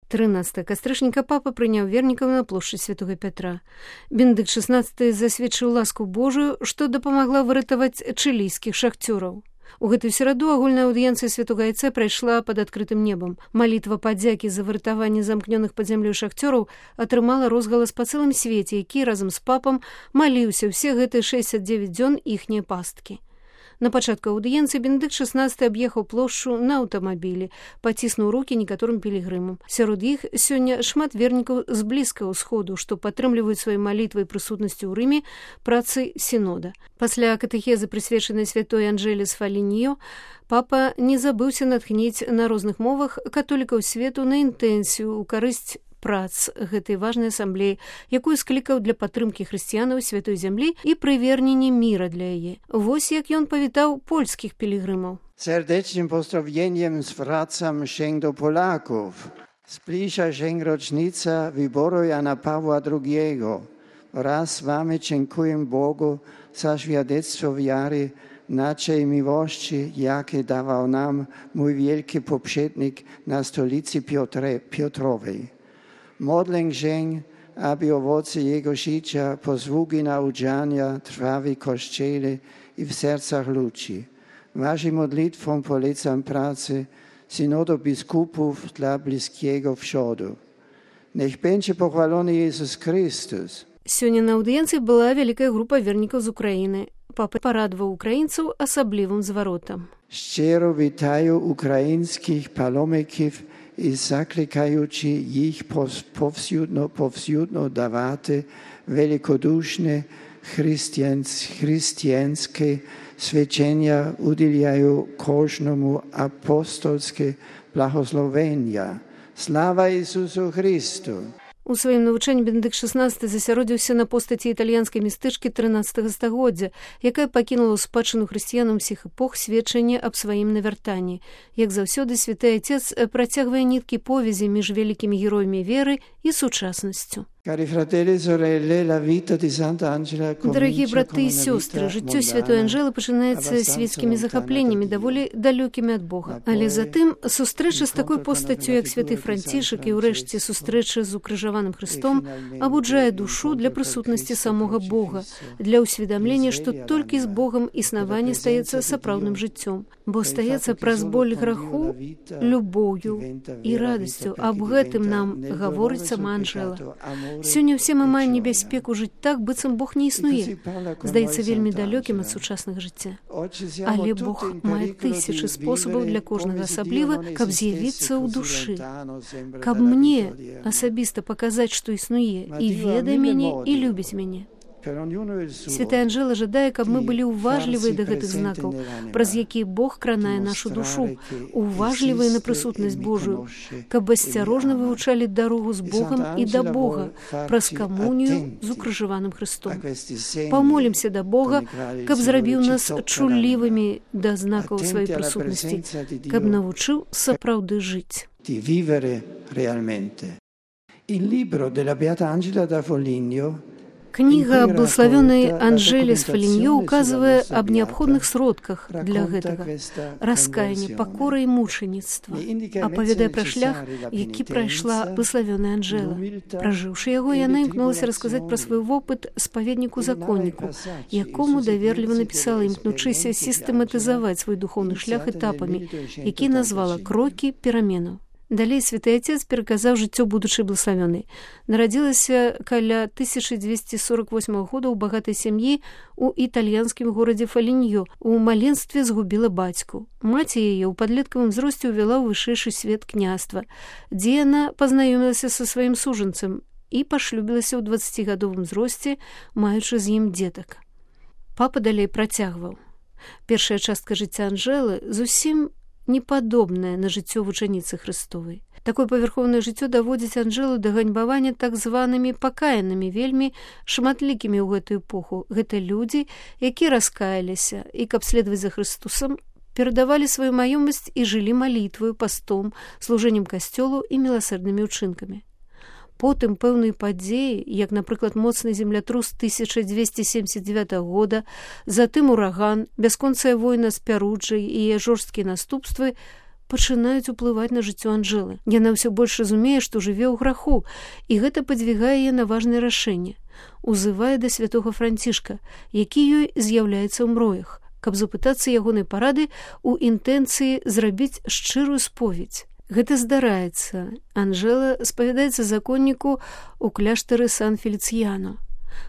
13 кастрычніка папа прыняў вернікаў на плошчы святого Пятра. Бенедыкт XVI засведчыў ласку Божую, што дапамагла выратаваць чылійскіх шахцёраў. У гэтую сераду агульная аўдыенцыя святога Айца прайшла пад адкрытым небам. Малітва падзякі за выратаванне замкнёных пад зямлёй шахцёраў атрымала розгалас па цэлым свеце, які разам з папам маліўся ўсе гэтыя 69 дзён іхняе пасткі. На пачатку аўдыенцыі Бенедыкт XVI аб'ехаў плошчу на аўтамабілі, паціснуў рукі некаторым пілігрымам. Сярод іх сёння шмат вернікаў з блізкага ўсходу, што падтрымліваюць сваёй малітвай і прысутнасцю ў Рыме працы сінода. Пасля катэхезы, прысвечанай святой Анжэле з Фаліньо, папа не забыўся натхніць на розных мовах католікаў свету на інтэнсію ў карысць прац гэтай важнай асамблеі, якую склікаў для падтрымкі хрысціянаў святой зямлі і прывернення міра для яе. Вось як ён павітаў польскіх пілігрымаў. Serdecznym pozdrowieniem zwracam się do Polaków. Zbliża się rocznica wyboru Jana Pawła II. Raz wamy dziękuję Bogu za świadectwo wiary naszej miłości, jakie dawał nam mój wielki poprzednik na stolicy Piotrowej. Modlę się, aby owoce jego życia pozwógi nauczania trwały w Kościele i w sercach ludzi. Waszym modlitwom polecam pracę synodu biskupów dla bliskiego wschodu. Niech będzie pochwalony Jezus Chrystus. Сёння на аўдыенцыі была вялікая група вернікаў з Украіны. Папа парадаваў украінцаў асаблівым зваротам. Szczero witają ukraińskich palomików i zaklikajući ich powsiudno dawati velikodušne hristijanskie свячення udzielają kожному apostolskie blahosłowenia. Слава Ісусу Христу! У сваім навучанні Бенедыкт XVI засяродзіўся на постаці італьянскай містычкі 13 стагоддзя, якая пакінула ў спадчыну хрысціянам усіх эпох сведчанне аб сваім навяртанні. Як заўсёды, святы Айцец працягвае ніткі повязі між вялікімі героямі веры і сучаснасцю. Дарагія браты і сёстры, жыццё святой Анжэлы пачынаецца свецкімі захапленнямі, даволі далёкімі ад Бога. Але затым сустрэча з такой постаццю, як святы Францішак, і ўрэшце сустрэча з укрыжаваным Хрыстом абуджае душу для прысутнасці самога Бога, для ўсведамлення, што толькі з Богам існаванне стаецца сапраўдным жыццём, бо стаецца праз боль граху, любоўю і радасцю. Аб гэтым нам гаворыць сама Анжэла. Сёння ўсе мы маем небяспеку жыць так, быццам Бог не існуе. Здаецца вельмі далёкім ад сучаснага жыцця. Але Бог мае тысячы спосабаў для кожнага асабліва, каб з'явіцца ў душы. Каб мне асабіста паказаць, што існуе, і ведае мяне, і любіць мяне. Святая Анжэла жадае, каб мы былі ўважлівыя да гэтых знакаў, праз якія Бог кранае нашу душу, уважлівыя на прысутнасць Божую, каб асцярожна вывучалі дарогу з Богам і да Бога праз камунію з укрыжаваным Хрыстом. Памолімся да Бога, каб зрабіў нас чуллівымі да знакаў сваёй прысутнасці, каб навучыў сапраўды жыць. Кніга благословенной Анжеле з Фаліньо указывае аб неабходных сродках для гэтага. Раскаянне, пакора і мучаніцтва. Апавядае пра шлях, які прайшла благословенная Анжела. Пражыўшы яго, яна імкнулася расказаць пра свой вопыт спаведніку-законніку, якому даверліва напісала, імкнучыся сістэматызаваць свой духоўны шлях этапамі, які назвала «Крокі пераменаў». Далей святы Айцец пераказаў жыццё будучай благословеннай. Нарадзілася каля 1248 года ў багатай сям'і ў італьянскім горадзе Фаліньо. У маленстве згубіла бацьку. Маці яе ў падлеткавым узросце ўвяла ў вышэйшы свет княства, дзе яна пазнаёмілася са сваім сужанцам і пашлюбілася ў 20-гадовым узросце, маючы з ім дзетак. Папа далей працягваў. Першая частка жыцця Анжэлы зусім непадобная на жыццё вучаніцы Хрыстовай. Такое павярхоўнае жыццё даводзіць Анжэлу да ганьбавання так званымі пакаянымі, вельмі шматлікімі ў гэтую эпоху. Гэта людзі, якія раскаяліся і, каб следаваць за Хрыстусам, перадавалі сваю маёмасць і жылі малітваю, пастом, служэннем касцёлу і міласэрнымі ўчынкамі. Потым пэўныя падзеі, як, напрыклад, моцны землятрус 1279 года, затым ураган, бясконцая война з Пяруджай і яе жорсткія наступствы пачынаюць уплываць на жыццё Анжэлы. Яна ўсё больш разумее, што жыве ў граху, і гэта падвігае яе на важнае рашэнне. Узывае да святога Францішка, які ёй з'яўляецца ў мроях, каб запытацца ягонай парады ў інтэнцыі зрабіць шчырую споведь. Гэта здараецца. Анжэла спавядаецца законніку ў кляштары Сан-Феліцыяно.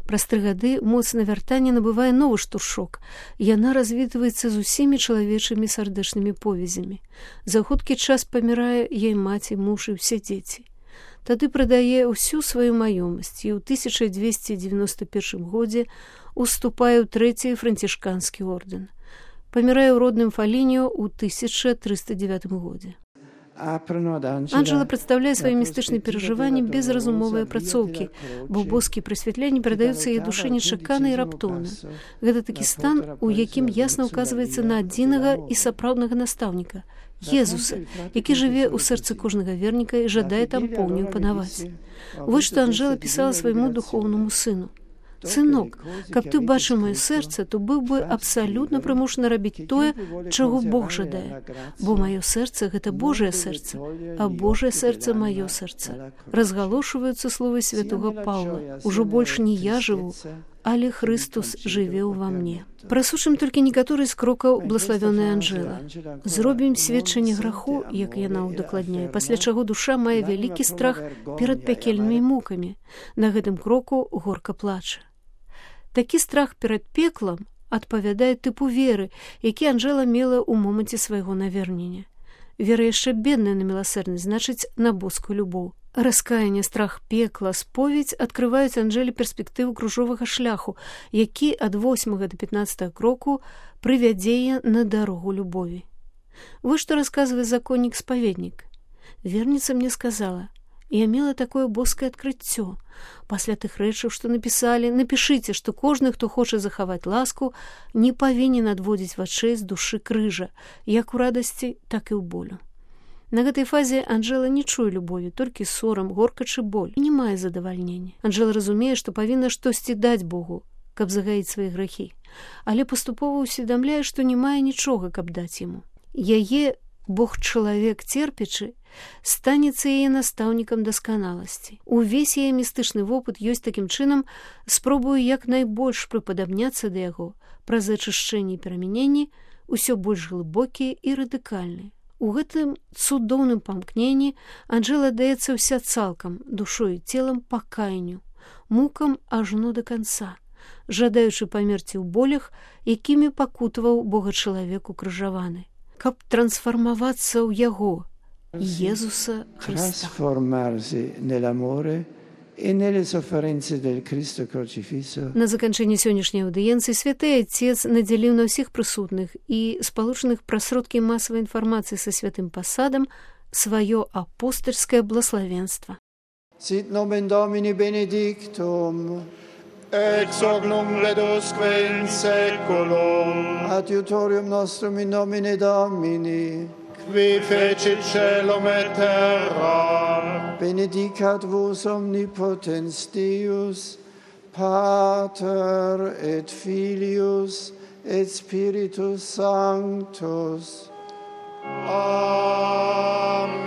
Праз 3 гады моцна вяртання набывае новы штуршок. Яна развітваецца з усімі чалавечымі сардэчнымі повязямі. За хуткі час памірае яй маці, муж і ўсе дзеці. Тады прадае ўсю сваю маёмасць і ў 1291 годзе уступае ў 3-й францішканскі ордэн. Памірае ў родным Фаліньо ў 1309 годзе. Анжэла прадстаўляе свае містычныя перажыванні без разумовай апрацоўкі, бо боскія прасвятленні перадаюцца яе душы нечакана і раптоўна. Гэта такі стан, у якім ясна ўказваецца на адзінага і сапраўднага настаўніка, Езуса, які жыве ў сэрцы кожнага верніка і жадае там поўню панаваць. Вось што Анжэла пісала свайму духоўнаму сыну. «Сынок, каб ты бачыў маё сэрца, то быў бы абсалютна прымушаны рабіць тое, чаго Бог жадае. Бо маё сэрца – гэта Божае сэрца, а Божае сэрца – маё сэрца». Разгалошваюцца словы святога Паўла. «Ужо больш не я жыву, але Хрыстус жыве ўва мне». Прасучым толькі некаторыя з крокаў блаславёнай Анжэлы. Зробім сведчанне граху, як яна ўдакладняе, пасля чаго душа мае вялікі страх перад пякельнымі мукамі. На гэтым кроку горка плача. Такі страх перад пеклам адпавядае тыпу веры, які Анжэла мела ў моманце свайго навернення. Вера яшчэ бедная на міласэрнасць, значыць, на боскую любоў. Раскаянне, страх пекла, споведь адкрываюць Анжэле перспектыву кружовага шляху, які ад 8 да 15 кроку прывядзе на дарогу любові. Вось што расказвае законнік-спаведнік. Верніца мне сказала: «Я мела такое боскае адкрыццё. Пасля тых рэчаў, што напісалі, напішыце, што кожны, хто хоча захаваць ласку, не павінен адводзіць вачэй з душы крыжа, як у радасці, так і ў болю». На гэтай фазе Анжэла не чуе любові, толькі сорам, горкач і боль. Не мае задавальнення. Анжэла разумее, што павінна штосьці даць Богу, каб загаіць свае грахі, але паступова ўсведамляе, што не мае нічога, каб даць яму. Яе Бог-чалавек церпячы станецца яе настаўнікам дасканаласці. Увесь яе містычны вопыт ёсць такім чынам спробую як найбольш прыпадабняцца да яго праз ачышчэнне і перамяненні, усё больш глыбокія і радыкальныя. У гэтым цудоўным памкненні Анжэла даецца ўся цалкам, душой і целам пакаянню, мукам ажно да канца, жадаючы памерці ў болях, якімі пакутаваў Бога-чалавек укрыжаваны, каб трансфармавацца ў яго, Езуса Христа. На заканчэнне сённяшняй аўдыенцыі святы Отец надзяліў на ўсіх прысутных і спалучаных праз сродкі масавай інфармацыі са святым пасадам сваё апостальскае блаславенства. Sit nomen Domini benedictum, ex hoc nunc ledusque in saeculum, adiutorium nostrum in nomine Domini, qui fecit caelum et terram, benedicat vos omnipotens Deus, Pater et Filius et Spiritus Sanctus. Amen.